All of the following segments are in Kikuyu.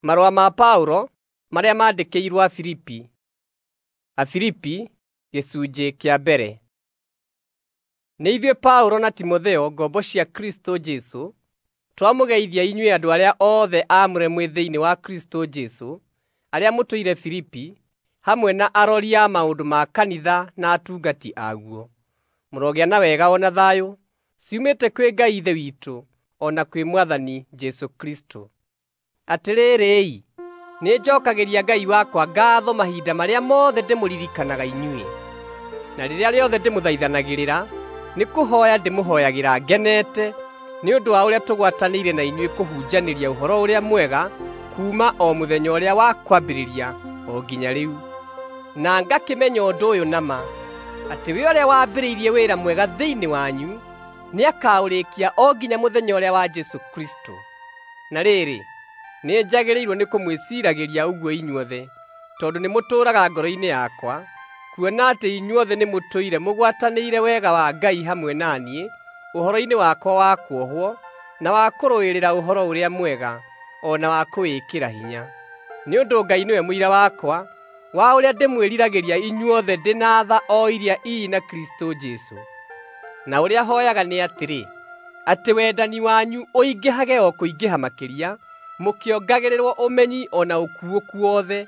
Marũa ma Paũlo marĩa maandĩkĩirwo Afilipi. Afilipi gĩcunjĩ kĩa mbere. Nĩ ithuĩ Paũlo na Timotheo, ngombo cia Kristũ Jesũ, twamũgeithia inyuĩ andũ arĩa othe aamũre mwĩ thĩinĩ wa Kristũ Jesũ, arĩa mũtũire Filipi, hamwe na arori a maũndũ ma kanitha na atungati aguo. Mũrogĩa na wega o na thayũ ciumĩte kwĩ Ngai Ithe witũ o na kwĩ Mwathani Jesũ Kristũ. Atĩrĩrĩ-i, nĩnjokagĩria Ngai wakwa ngaatho mahinda marĩa mothe ndĩmũririkanaga inyuĩ. Na rĩrĩa rĩothe ndĩmũthaithanagĩrĩra, nĩkũhooya ndĩmũhooyagĩra ngenete nĩ ũndũ wa ũrĩa tũgwatanĩire na inyuĩ kũhunjanĩria Ũhoro-ũrĩa-Mwega kuuma o mũthenya ũrĩa wa kwambĩrĩria o nginya rĩu. Na ngakĩmenya ũndũ ũyũ na ma, atĩ we ũrĩa wambĩrĩirie wĩra mwega thĩinĩ wanyu nĩakaũrĩkia o nginya mũthenya ũrĩa wa Jesũ Kristũ. Na rĩrĩ, nĩnjagĩrĩirwo nĩ kũmwĩciiragĩria ũguo inyuothe, tondũ nĩmũtũũraga ngoro-inĩ yakwa, kuona atĩ inyuothe nĩmũtũire mũgwatanĩire wega wa Ngai hamwe na niĩ ũhoro-inĩ wakwa wa kuohwo, na wa kũrũĩrĩra Ũhoro-ũrĩa-Mwega, o na wa kũwĩkĩra hinya. Nĩ ũndũ Ngai nĩwe mũira wakwa wa ũrĩa ndĩmwĩriragĩria inyuothe ndĩ na tha o iria ii na Kristũ Jesũ. Na ũrĩa hooyaga nĩ atĩrĩ, atĩ wendani wanyu ũingĩhage o kũingĩha makĩria, mũkĩongagĩrĩrwo ũmenyi o na ũkuũku wothe,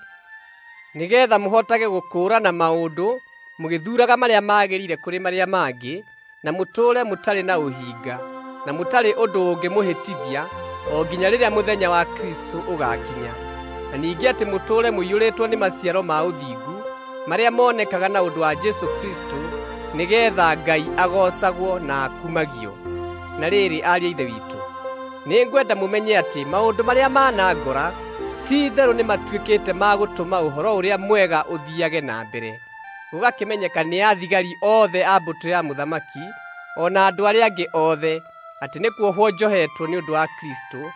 nĩgeetha mũhotage gũkũũrana maũndũ mũgĩthuuraga marĩa magĩrĩire kũrĩ marĩa mangĩ, na mũtũũre mũtarĩ na ũhinga, na mũtarĩ ũndũ ũngĩmũhĩtithia o nginya rĩrĩa mũthenya wa Kristũ ũgaakinya. Na ningĩ atĩ mũtũũre mũiyũrĩtwo nĩ maciaro ma ũthingu marĩa monekaga na ũndũ wa Jesũ Kristũ, nĩgeetha Ngai agoocagwo na akumagio. Na rĩrĩ, ariũ a Ithe witũ, nĩngwenda mũmenye atĩ maũndũ marĩa manangora ti-itherũ nĩmatuĩkĩte ma gũtũma Ũhoro-ũrĩa-Mwega ũthiiage na mbere, gũgakĩmenyeka nĩ athigari othe a mbũtũ ya mũthamaki, o na andũ arĩa angĩ othe, atĩ nĩ kuohwo njohetwo nĩ ũndũ wa Kristũ.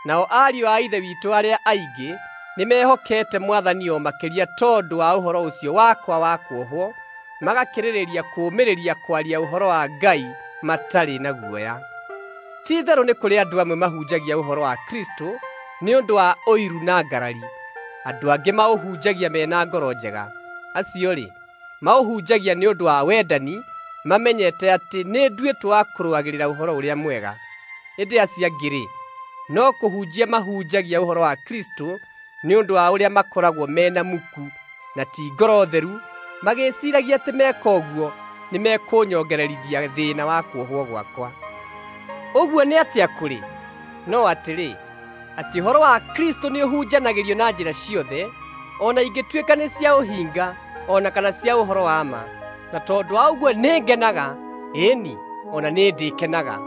Nao ariũ a Ithe witũ arĩa aingĩ nĩmehokete Mwathani o makĩria tondũ wa ũhoro ũcio wakwa wa kuohwo, magakĩrĩrĩria kũũmĩrĩria kwaria ũhoro wa Ngai matarĩ na guoya. Ti-itherũ nĩ kũrĩ andũ amwe mahunjagia ũhoro wa Kristũ nĩ ũndũ wa ũiru na ngarari, andũ angĩ maũhunjagia me na ngoro njega. Acio-rĩ, maũhunjagia nĩ ũndũ wa wendani, mamenyete atĩ nĩnduĩtwo wa kũrũagĩrĩra Ũhoro-ũrĩa-Mwega. Ĩndĩ acio angĩ-rĩ, no kũhunjia mahunjagia ũhoro wa Kristũ nĩ ũndũ wa ũrĩa makoragwo me na muku, na ti ngoro theru, magĩĩciiragia atĩ meka ũguo nĩmekũnyongererithia thĩĩna wa kuohwo gwakwa. Ũguo nĩ atĩa kũrĩ? No atĩrĩ, atĩ ũhoro wa Kristũ nĩũhunjanagĩrio na njĩra ciothe, o na ingĩtuĩka nĩ cia ũhinga o na kana cia ũhoro wa ma. Na tondũ wa ũguo nĩngenaga, ĩĩ-ni, o na nĩndĩkenaga.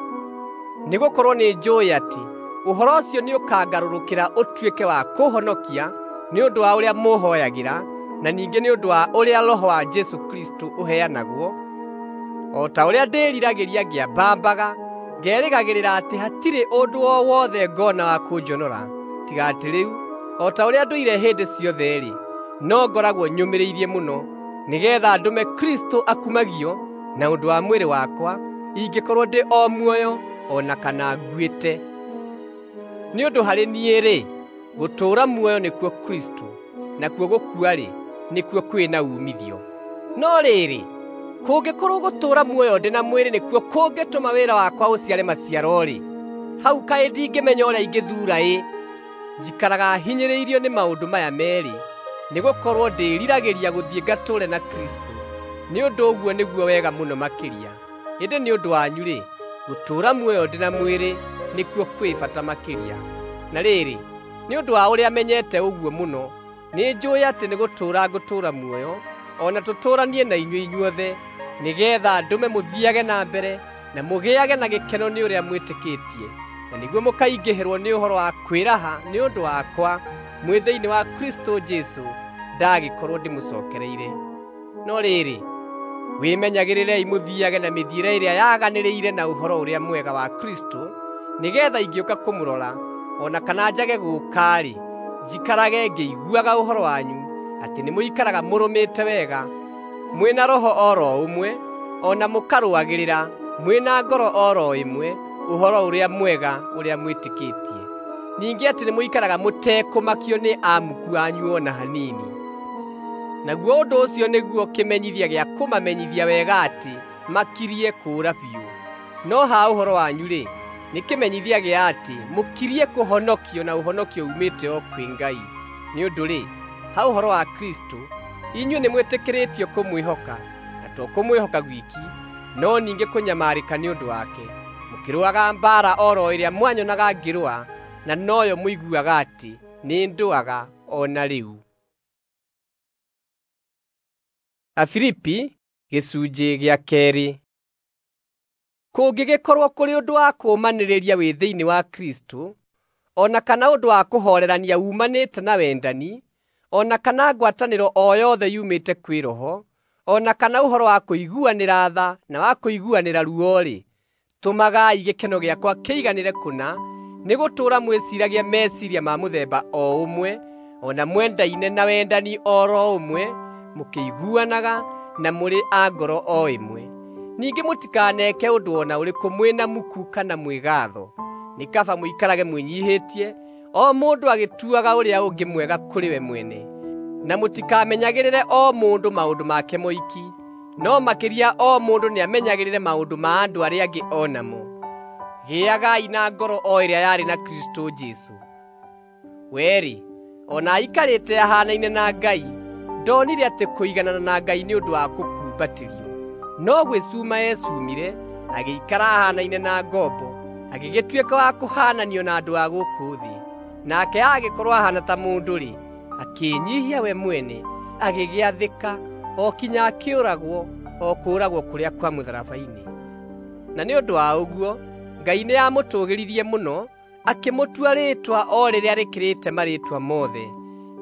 Nĩgũkorwo nĩnjũũĩ atĩ ũhoro ũcio nĩũkangarũrũkĩra ũtuĩke wa kũũhonokia nĩ ũndũ wa ũrĩa mũũhooyagĩra, na ningĩ nĩ ũndũ wa ũrĩa Roho wa Jesũ Kristũ ũheanagwo, o ta ũrĩa ndĩĩriragĩria ngĩambambaga, ngerĩgagĩrĩra atĩ hatirĩ ũndũ o wothe ngona wa kũnjonora, tiga atĩ rĩu, o ta ũrĩa ndũire hĩndĩ ciothe-rĩ, no ngoragwo nyũmĩrĩirie mũno, nĩgeetha ndũme Kristũ akumagio na ũndũ wa mwĩrĩ wakwa, ingĩkorwo ndĩ o muoyo o na kana nguĩte. Nĩ ũndũ harĩ niĩ-rĩ, gũtũũra muoyo nĩkuo Kristũ, nakuo gũkua-rĩ, nĩkuo kwĩ na uumithio. No rĩrĩ, kũngĩkorwo gũtũũra muoyo ndĩ na mwĩrĩ nĩkuo kũngĩtũma wĩra wakwa ũciare maciaro-rĩ, hau kaĩ ndingĩmenya ũrĩa ingĩthuura-ĩ! Njikaraga hinyĩrĩirio nĩ maũndũ maya meerĩ, nĩgũkorwo ndĩĩriragĩria gũthiĩ ngatũũre na Kristũ, nĩ ũndũ ũguo nĩguo wega mũno makĩria. Ĩndĩ nĩ ũndũ wanyu-rĩ, gũtũũra muoyo ndĩ na mwĩrĩ nĩkuo kwĩ bata makĩria. Na rĩrĩ, nĩ ũndũ wa ũrĩa menyete ũguo mũno, nĩnjũũĩ atĩ nĩgũtũũra ngũtũũra muoyo, o na tũtũũranie na inyuĩ inyuothe, nĩgeetha ndũme mũthiiage na mbere na mũgĩage na gĩkeno nĩ ũrĩa mwĩtĩkĩtie, na nĩguo mũkaingĩhĩrwo nĩ ũhoro wa kwĩraha nĩ ũndũ wakwa mwĩ thĩinĩ wa Kristũ Jesũ ndagĩkorwo ndĩmũcookereire. No rĩrĩ, wĩmenyagĩrĩrei mũthiiage na mĩthiĩre ĩrĩa yaganĩrĩire na Ũhoro-ũrĩa-Mwega wa Kristũ, nĩgeetha ingĩũka kũmũrora, o na kana njage gũũka-rĩ, njikarage ngĩiguaga ũhoro wanyu atĩ nĩmũikaraga mũrũmĩte wega, mwĩ na roho o ro ũmwe, o na mũkarũagĩrĩra mwĩ na ngoro o ro ĩmwe Ũhoro-ũrĩa-Mwega ũrĩa mwĩtĩkĩtie. Ningĩ atĩ nĩmũikaraga mũtekũmakio nĩ amuku anyu o na hanini. Naguo ũndũ ũcio nĩguo kĩmenyithia gĩa kũmamenyithia wega atĩ makirie kũũra biũ. No ha ũhoro wanyu-rĩ, nĩ kĩmenyithia gĩa atĩ mũkirie kũhonokio na ũhonokio uumĩte o kwĩ Ngai. Nĩ ũndũ-rĩ, ha ũhoro wa Kristũ, inyuĩ nĩmwĩtĩkĩrĩtio kũmwĩhoka, na to kũmwĩhoka gwiki, no ningĩ kũnyamarĩka nĩ ũndũ wake, mũkĩrũaga mbaara o ro ĩrĩa mwanyonaga ngĩrũa, na noyo mũiguaga atĩ nĩndũaga o na rĩu. Afilipi gĩcunjĩ gĩa kerĩ. Kũngĩgĩkorwo kũrĩ ũndũ wa kũũmanĩrĩria wĩ thĩinĩ wa Kristũ, o na kana ũndũ wa kũhoorerania uumanĩte na wendani, o na kana ngwatanĩro o yothe yumĩte kwĩ Roho, o na kana ũhoro wa kũiguanĩra tha na wa kũiguanĩra ruo-rĩ, tũmagai gĩkeno gĩakwa kĩiganĩre kũna nĩ gũtũũra mwĩciragia meciria ma mũthemba o ũmwe, o na mwendaine na wendani o ro ũmwe, mũkĩiguanaga na mũrĩ a ngoro o ĩmwe. Ningĩ mũtikaneke ũndũ o na ũrĩkũ mwĩna muku kana mwĩgatho. Nĩ kaba mũikarage mwĩnyiihĩtie, o mũndũ agĩtuaga ũrĩa ũngĩ mwega kũrĩ we mwene. Na mũtikamenyagĩrĩre o mũndũ maũndũ make moiki, no makĩria o mũndũ nĩamenyagĩrĩre maũndũ ma andũ arĩa angĩ o namo. Gĩagai na ngoro o ĩrĩa yarĩ na Kristũ Jesũ. We-rĩ, o na aikarĩte ahaanaine na Ngai, ndonire atĩ kũiganana na Ngai nĩ ũndũ wa kũkumbatĩrio, no gwĩcuma eecumire, agĩikara ahaanaine na ngombo, agĩgĩtuĩka wa kũhaananio na andũ a gũkũ thĩ. Nake agĩkorwo ahaana ta mũndũ-rĩ, akĩĩnyiihia we mwene, agĩgĩathĩka o kinya akĩũragwo, o kũũragwo kũrĩa kwa mũtharaba-inĩ. Na nĩ ũndũ wa ũguo, Ngai nĩamũtũũgĩririe mũno, akĩmũtua rĩĩtwa o rĩrĩa rĩkĩrĩte marĩĩtwa mothe,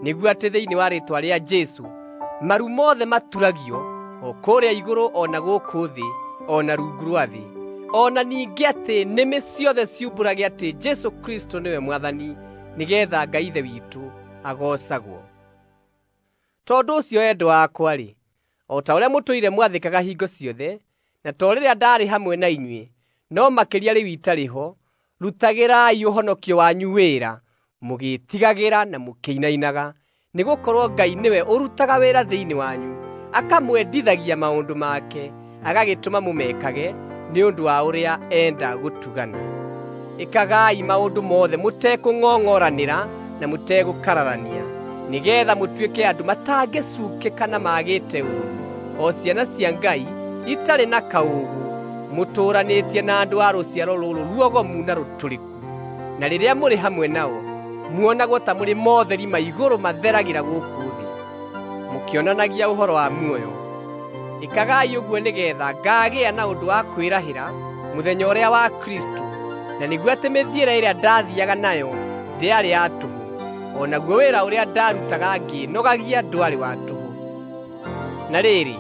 nĩguo atĩ thĩinĩ wa rĩĩtwa rĩa Jesũ maru mothe maturagio, o kũrĩa igũrũ o na gũkũ thĩ, o na rungu rwa thĩ. O na ningĩ atĩ nĩmĩ ciothe ciumbũrage atĩ Jesũ Kristũ nĩwe Mwathani, nĩgeetha Ngai Ithe witũ agoocagwo. Tondũ ũcio endwa akwa-rĩ, o ta ũrĩa mũtũire mwathĩkaga hingo ciothe, na to rĩrĩa ndaarĩ hamwe na inyuĩ, no makĩria rĩu itarĩ ho, rutagĩrai ũhonokio wanyu wĩra, mũgĩĩtigagĩra na mũkĩinainaga, nĩgũkorwo Ngai nĩwe ũrutaga wĩra thĩinĩ wanyu, akamwendithagia maũndũ make, agagĩtũma mũmekage nĩ ũndũ wa ũrĩa enda gũtugana. Ĩkagai maũndũ mothe mũtekũng'ong'oranĩra na mũtegũkararania, nĩgeetha mũtuĩke andũ matangĩcuukĩka na maagĩte ũũru, o ciana cia Ngai itarĩ na kaũũgũ, mũtũũranĩtie na andũ a rũciaro rũrũ ruogomu na rũtũrĩku. Na rĩrĩa mũrĩ hamwe nao, muonagwo ta mũrĩ motheri ma igũrũ matheragĩra gũkũ thĩ, mũkĩonanagia ũhoro wa muoyo. Ĩkagai ũguo nĩgeetha ngaagĩa na ũndũ wa kwĩrahĩra mũthenya ũrĩa wa Kristũ, na nĩguo atĩ mĩthiĩre ĩrĩa ndaathiiaga nayo ndĩarĩ ya tũhũ, o naguo wĩra ũrĩa ndaarutaga ngĩĩnogagia ndwarĩ wa tũhũ. Na rĩrĩ,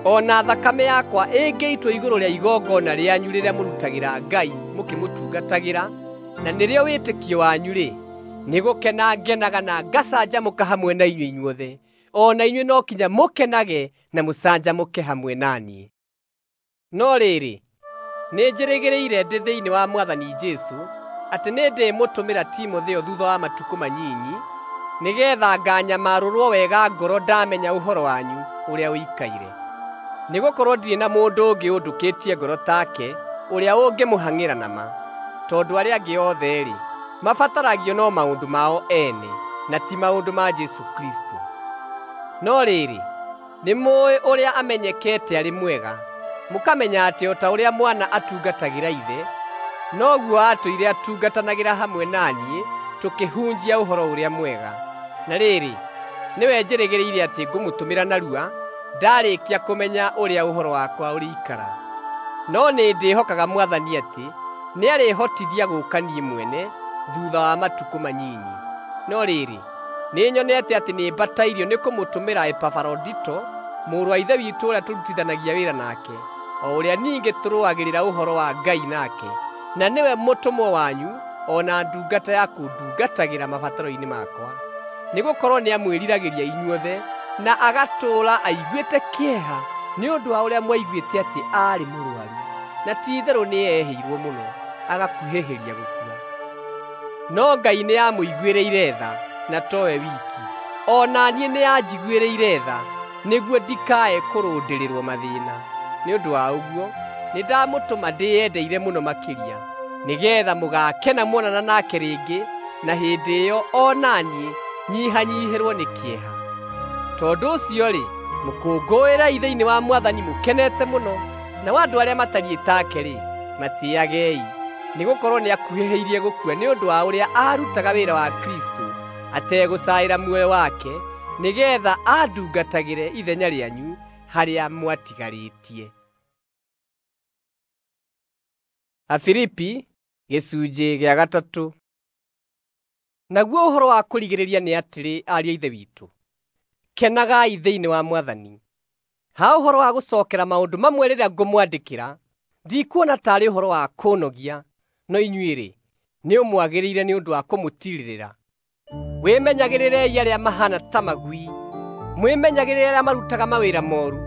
o na thakame yakwa ĩngĩitwo igũrũ rĩa igongona rĩanyu rĩrĩa mũrutagĩra Ngai mũkĩmũtungatagĩra, na nĩrĩo wĩtĩkio wanyu-rĩ, nĩgũkena ngenaga na ngacanjamũka hamwe na inyuĩ inyuothe. O na inyuĩ no kinya mũkenage na mũcanjamũke hamwe na niĩ. No rĩrĩ, nĩnjĩrĩgĩrĩire ndĩ thĩinĩ wa Mwathani Jesũ atĩ nĩndĩmũtũmĩra Timotheo thuutha wa matukũ manyinyi, nĩgeetha nganyamarũrwo wega ngoro ndamenya ũhoro wanyu ũrĩa ũikaire. Nĩgũkorwo ndirĩ na mũndũ ũngĩ ũndũkĩtie ngoro take ũrĩa ũngĩmũhang'ĩra na ma, tondũ arĩa angĩ othe-rĩ, mabataragio no maũndũ mao ene, na ti maũndũ ma Jesũ Kristũ. No rĩrĩ, nĩmũũĩ ũrĩa amenyekete arĩ mwega, mũkamenya atĩ o ta ũrĩa mwana atungatagĩra ithe, noguo aatũire atungatanagĩra hamwe na niĩ tũkĩhunjia ũhoro ũrĩa mwega. Na rĩrĩ, nĩwe njĩrĩgĩrĩire atĩ ngũmũtũmĩra narua ndaarĩkia kũmenya ũrĩa ũhoro wakwa ũrĩikara. No nĩndĩhokaga Mwathani atĩ nĩarĩhotithia gũũka niĩ mwene thuutha wa matukũ manyinyi. No rĩrĩ, nĩnyonete atĩ nĩmbatairio nĩkũmũtũmĩra Epafarodito, mũrũ wa Ithe witũ ũrĩa tũrutithanagia wĩra nake, o ũrĩa ningĩ tũrũagĩrĩra ũhoro wa Ngai nake, na nĩwe mũtũmwo wanyu o na ndungata ya kũndungatagĩra mabataro-inĩ makwa. Nĩgũkorwo nĩamwĩriragĩria inyuothe, na agatũũra aiguĩte kĩeha nĩ ũndũ wa ũrĩa mwaiguĩte atĩ aarĩ mũrũaru, na ti-itherũ nĩehĩirwo mũno, agakuhĩhĩria gũkua. No Ngai nĩamũiguĩrĩire tha, na towe wiki, o na niĩ nĩanjiguĩrĩire tha, nĩguo ndikae kũrũndĩrĩrwo mathĩĩna. Nĩ ũndũ wa ũguo nĩndamũtũma ndĩyendeire mũno makĩria, nĩgeetha mũgaakena muonana nake rĩngĩ, na hĩndĩ ĩyo o na niĩ nyihanyiihĩrwo nĩ kĩeha. Tondũ ũcio-rĩ, mũkũngũĩrei thĩinĩ wa Mwathani mũkenete mũno, nao andũ arĩa matariĩ take-rĩ, matĩĩagei, nĩgũkorwo nĩakuhĩhĩirie gũkua nĩ ũndũ wa ũrĩa aarutaga wĩra wa Kristũ ategũcaĩra muoyo wake, nĩgeetha andungatagĩre ithenya rĩanyu harĩa mwatigarĩtie. Afilipi gĩcunjĩ gĩa gatatũ. Naguo ũhoro wa kũrigĩrĩria nĩ atĩrĩ, ariũ a Ithe witũ, kenagai thĩinĩ wa Mwathani. Ha ũhoro wa gũcookera maũndũ mamwe rĩrĩa ngũmwandĩkĩra, ndikuona taarĩ ũhoro wa kũũnogia, no inyuĩ-rĩ, nĩũmwagĩrĩire nĩ ũndũ wa kũmũtiirĩrĩra. Wĩmenyagĩrĩrei arĩa mahaana ta magui, mwĩmenyagĩrĩre arĩa marutaga mawĩra mooru,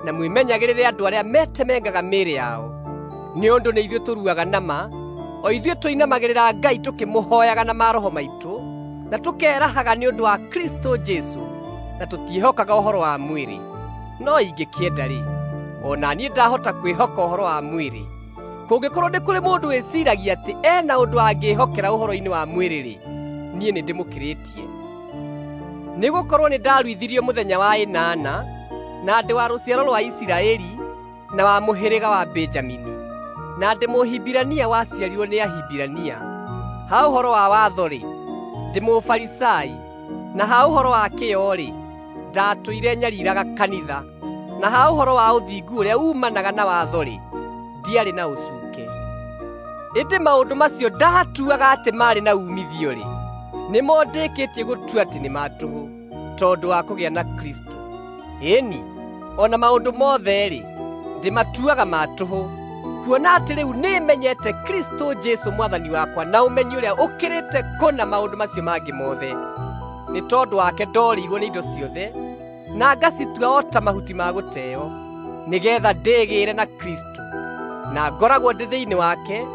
na mwĩmenyagĩrĩre andũ arĩa metemengaga mĩĩrĩ yao. Nĩ ũndũ nĩ ithuĩ tũruaga na ma, o ithuĩ tũinamagĩrĩra Ngai tũkĩmũhooyaga na maroho maitũ, na tũkerahaga nĩ ũndũ wa Kristũ Jesũ, na tũtiĩhokaga ũhoro wa mwĩrĩ. No ingĩkĩenda-rĩ, o na niĩ ndahota kwĩhoka ũhoro wa mwĩrĩ. Kũngĩkorwo nĩ kũrĩ mũndũ wĩciiragia atĩ ena ũndũ angĩĩhokera ũhoro-inĩ wa mwĩrĩ-rĩ, niĩ nĩndĩmũkĩrĩtie. Nĩgũkorwo nĩndaruithirio mũthenya wa ĩnana, na ndĩ wa rũciaro rwa Isiraeli, na wa mũhĩrĩga wa Benjamini, na ndĩ Mũhibirania waciarirwo nĩ Ahibirania. Ha ũhoro wa watho-rĩ, ndĩ Mũfarisai, na ha ũhoro wa kĩyo-rĩ, ndatũire nyariiraga kanitha, na ha ũhoro wa ũthingu ũrĩa uumanaga na watho-rĩ, ndiarĩ na ũcuuke. Ĩndĩ maũndũ macio ndaatuaga atĩ maarĩ na uumithio-rĩ, nĩmo ndĩkĩtie gũtua atĩ nĩ ma tũhũ, tondũ wa kũgĩa na Kristũ. Ĩni, o na maũndũ mothe-rĩ, ndĩmatuaga ma tũhũ, kuona atĩ rĩu nĩmenyete Kristũ Jesũ Mwathani wakwa na ũmenyi ũrĩa ũkĩrĩte kũna maũndũ macio mangĩ mothe. Nĩ tondũ wake ndoorĩirwo nĩ indo ciothe, na ngacitua o ta mahuti ma gũteo, nĩgeetha ndĩgĩĩre na Kristũ, na ngoragwo ndĩ thĩinĩ wake,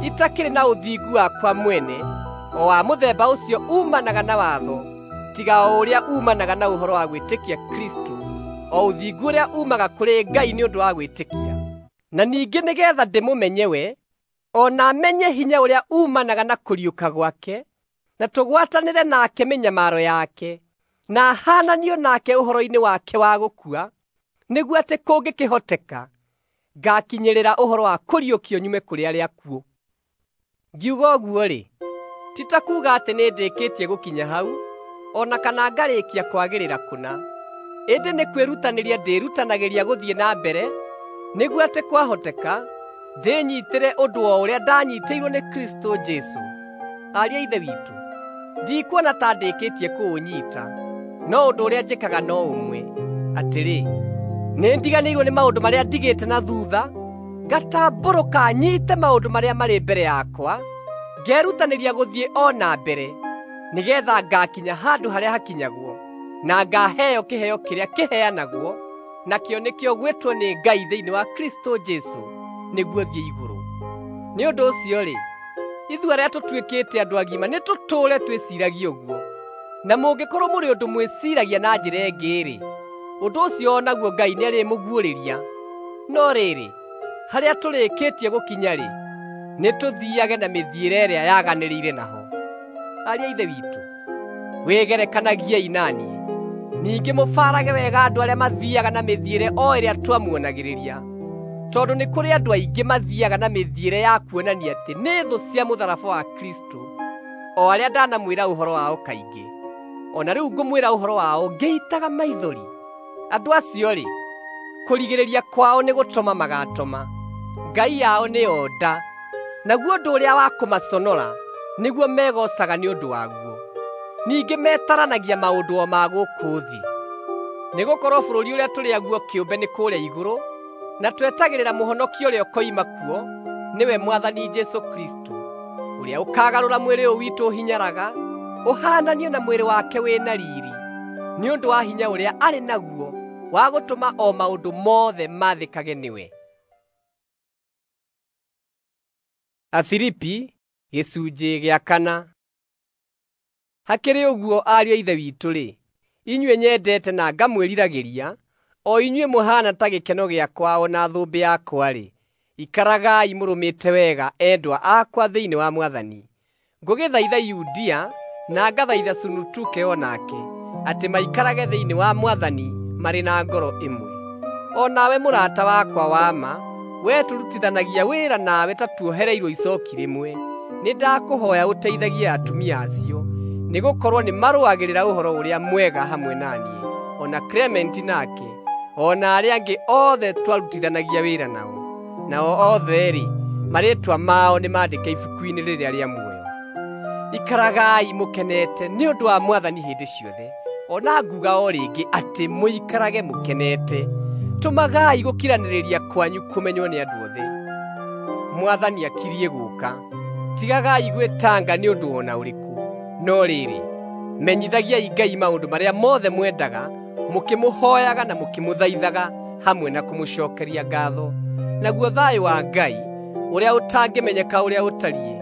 itakĩrĩ na ũthingu wakwa mwene, o wa mũthemba ũcio uumanaga na watho, tiga o ũrĩa uumanaga na ũhoro wa gwĩtĩkia Kristũ, o ũthingu ũrĩa uumaga kũrĩ Ngai nĩ ũndũ wa gwĩtĩkia. Na ningĩ nĩgeetha ndĩmũmenye we, o na menye hinya ũrĩa uumanaga na kũriũka gwake, na tũgwatanĩre nake mĩnyamaro yake, na haananio nake ũhoro-inĩ wake wa gũkua, nĩguo atĩ kũngĩkĩhoteka ngakinyĩrĩra ũhoro wa kũriũkio nyume kũrĩ arĩa akuũ. Ngiuga ũguo-rĩ, ti ta kuuga atĩ nĩndĩkĩtie gũkinya hau, o na kana ngarĩkia kwagĩrĩra kũna, ĩndĩ nĩ kwĩrutanĩria ndĩrutanagĩria gũthiĩ na mbere, nĩguo atĩ kwahoteka ndĩnyiitĩre ũndũ o ũrĩa ndanyiitĩirwo nĩ Kristũ Jesũ. Ariũ a Ithe witũ, ndikuona ta ndĩkĩtie kũũnyiita, no ũndũ ũrĩa njĩkaga no ũmwe, atĩrĩ, nĩndiganĩirwo nĩ maũndũ marĩa ndigĩte na thuutha, ngatambũrũka nyiite maũndũ marĩa marĩ mbere yakwa, ngerutanĩria gũthiĩ o na mbere, nĩgeetha ngakinya handũ harĩa hakinyagwo, na ngaheo kĩheo kĩrĩa kĩheanagwo, nakĩo nĩkĩo gwĩtwo nĩ Ngai thĩinĩ wa Kristũ Jesũ nĩguo thiĩ igũrũ. Nĩ ũndũ ũcio-rĩ, ithuĩ arĩa tũtuĩkĩte andũ agima nĩtũtũũre twĩciiragia ũguo. Na mũngĩkorwo mũrĩ ũndũ mwĩciiragia na njĩra ĩngĩ-rĩ, ũndũ ũcio o naguo Ngai nĩarĩmũguũrĩria. No rĩrĩ, harĩa tũrĩkĩtie gũkinya-rĩ, nĩtũthiiage na mĩthiĩre ĩrĩa yaganĩrĩire naho. Ariũ a Ithe witũ, wĩgerekanagiei na niĩ, ningĩ mũbaarage wega andũ arĩa mathiiaga na mĩthiĩre o ĩrĩa twamuonagĩrĩria, tondũ nĩ kũrĩ andũ aingĩ mathiiaga na mĩthiĩre ya kuonania atĩ nĩ thũ cia mũtharaba wa Kristũ, o arĩa ndanamwĩra ũhoro wao kaingĩ. O na rĩu ngũmwĩra ũhoro wao ngĩitaga maithori. Andũ acio-rĩ, kũrigĩrĩria kwao nĩ gũtoma magatoma, ngai yao nĩyo nda, naguo ũndũ ũrĩa wa kũmaconora nĩguo megoocaga nĩ ũndũ waguo. Ningĩ metaranagia maũndũ o ma gũkũ thĩ. Nĩgũkorwo bũrũri ũrĩa tũrĩ aguo kĩũmbe nĩ kũrĩa igũrũ, na twetagĩrĩra mũhonokia ũrĩa ũkoima kuo, nĩwe Mwathani Jesũ Kristũ, ũrĩa ũkagarũra mwĩrĩ ũyũ witũ ũhinyaraga, ũhaananio na mwĩrĩ wake wĩ na riiri, nĩ ũndũ wa hinya ũrĩa arĩ naguo wa gũtũma o maũndũ mothe maathĩkage nĩwe. Afilipi gĩcunjĩ gĩa kana. Hakĩrĩ ũguo ariũ a Ithe witũ-rĩ, inyuĩ nyendete na ngamwĩriragĩria, o inyuĩ mũhaana ta gĩkeno gĩakwa o na thũmbĩ yakwa-rĩ, ikaragai mũrũmĩte wega endwa akwa thĩinĩ wa Mwathani. Ngũgĩthaitha Yudia na ngathaitha Sunutuke o nake, atĩ maikarage thĩinĩ wa Mwathani marĩ na ngoro ĩmwe. O nawe mũrata wakwa wa ma, wee tũrutithanagia wĩra nawe ta tuohereirwo icooki rĩmwe, nĩndakũhooya ũteithagie atumia acio, nĩgũkorwo nĩmarũagĩrĩra Ũhoro-ũrĩa-Mwega hamwe na niĩ, o na Klementi nake, o na arĩa angĩ othe twarutithanagia wĩra nao. Nao othe-rĩ, marĩĩtwa mao nĩmandĩke ibuku-inĩ rĩrĩa rĩa muoyo. Ikaragai mũkenete nĩ ũndũ wa Mwathani hĩndĩ ciothe. O na nguga o rĩngĩ atĩ mũikarage mũkenete. Tũmagai gũkiranĩrĩria kwanyu kũmenywo nĩ andũ othe. Mwathani akiriĩ gũũka. Tigagai gwĩtanga nĩ ũndũ o na ũrĩkũ, no rĩrĩ, menyithagiai Ngai maũndũ marĩa mothe mwendaga, mũkĩmũhooyaga na mũkĩmũthaithaga hamwe na kũmũcookeria ngaatho. Naguo thayũ wa Ngai, ũrĩa ũtangĩmenyeka ũrĩa ũtariĩ,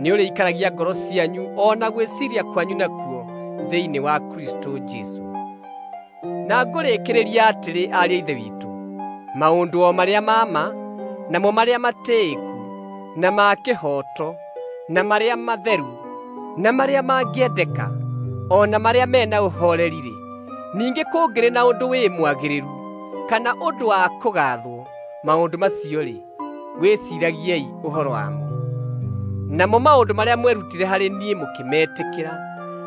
nĩũrĩikaragia ngoro cianyu o na gwĩciiria kwanyu nakuo thĩinĩ wa Kristũ Jesũ. Na ngũrĩkĩrĩria atĩrĩ, ariũ a Ithe witũ, maũndũ o marĩa ma ma, namo marĩa matĩĩku, na ma kĩhooto, na marĩa matheru, na marĩa mangĩendeka, o na marĩa mena ũhooreri-rĩ, ningĩ kũngĩrĩ na ũndũ wĩ mwagĩrĩru, kana ũndũ wa kũgaathwo, maũndũ macio-rĩ, wĩciiragiei ũhoro wamo. Namo maũndũ marĩa mwerutire harĩ niĩ mũkĩmetĩkĩra,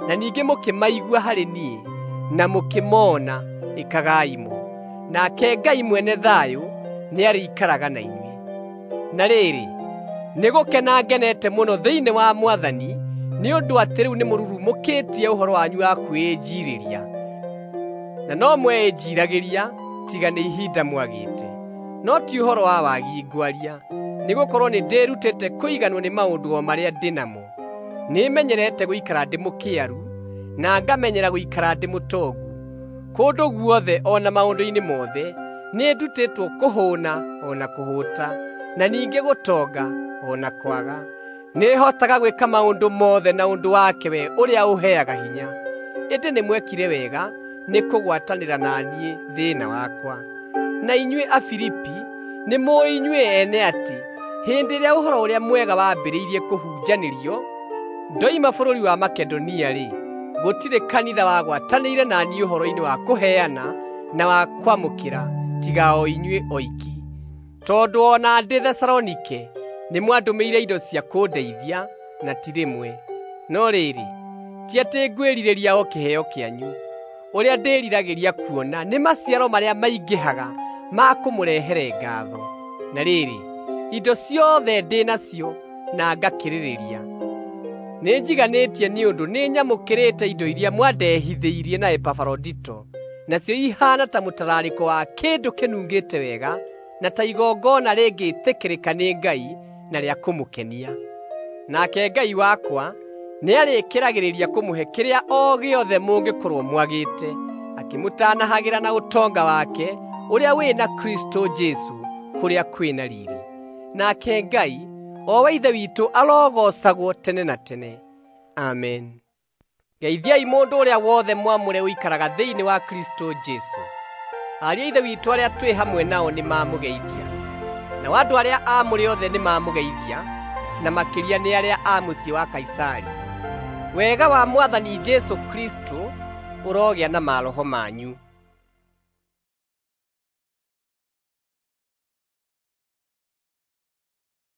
na ningĩ mũkĩmaigua harĩ niĩ, na mũkĩmoona, ĩkagai mo. Nake Ngai mwene thayũ nĩarĩikaraga na inyuĩ. Na rĩrĩ, nĩgũkena ngenete mũno thĩinĩ wa Mwathani nĩ ũndũ atĩ rĩu nĩmũrurumũkĩtie ũhoro wanyu wa kwĩĩnjiirĩria. Na no mweĩnjiiragĩria tiga nĩ ihinda mwagĩte. No ti ũhoro wa wagi ngwaria, nĩgũkorwo nĩndĩrutĩte kũiganwo nĩ maũndũ o marĩa ndĩ namo. Nĩmenyerete gũikara ndĩ mũkĩaru, na ngamenyera gũikara ndĩ mũtongu. Kũndũ guothe o na maũndũ-inĩ mothe nĩndutĩtwo kũhũũna o na kũhũũta, na ningĩ gũtonga o na kwaga. Nĩhotaga gwĩka maũndũ mothe na ũndũ wake we ũrĩa ũheaga hinya. Ĩndĩ nĩmwekire wega nĩ kũgwatanĩra na niĩ thĩĩna wakwa. Na inyuĩ Afilipi nĩmũũĩ inyuĩ ene atĩ hĩndĩ ĩrĩa Ũhoro-ũrĩa-Mwega wambĩrĩirie kũhunjanĩrio ndoima bũrũri wa Makedonia-rĩ, gũtirĩ kanitha wagwatanĩire na niĩ ũhoro-inĩ wa kũheana na wa kwamũkĩra tiga o inyuĩ oiki. Tondũ o na ndĩ Thesalonike nĩmwandũmĩire indo cia kũndeithia, na ti rĩmwe. No rĩrĩ, ti atĩ ngwĩrirĩria o kĩheo kĩanyu. Ũrĩa ndĩriragĩria kuona nĩ maciaro marĩa maingĩhaga ma kũmũrehere ngaatho. Na rĩrĩ, indo ciothe ndĩ nacio na ngakĩrĩrĩria. Nĩnjiganĩtie nĩ ũndũ nĩnyamũkĩrĩte indo iria mwandehithĩirie na Epafarodito, nacio ihaana ta mũtararĩko wa kĩndũ kĩnungĩte wega, na ta igongona rĩngĩtĩkĩrĩka nĩ Ngai na rĩa kũmũkenia. Nake Ngai wakwa nĩarĩkĩragĩrĩria kũmũhe kĩrĩa o gĩothe mũngĩkorwo mwagĩte, akĩmũtanahagĩra na ũtonga wake ũrĩa wĩ na Kristũ Jesũ kũrĩa kwĩ na riiri. Nake Ngai, o we Ithe witũ, arogoocagwo tene na tene. Amen. Geithiai mũndũ ũrĩa wothe mwamũre ũikaraga thĩinĩ wa Kristũ Jesũ. Ariũ a Ithe witũ arĩa twĩ hamwe nao nĩmamũgeithia. Nao andũ arĩa aamũre othe nĩmamũgeithia, na makĩria nĩ arĩa a mũciĩ wa Kaisari. Wega wa Mwathani Jesũ Kristũ ũrogĩa na maroho manyu.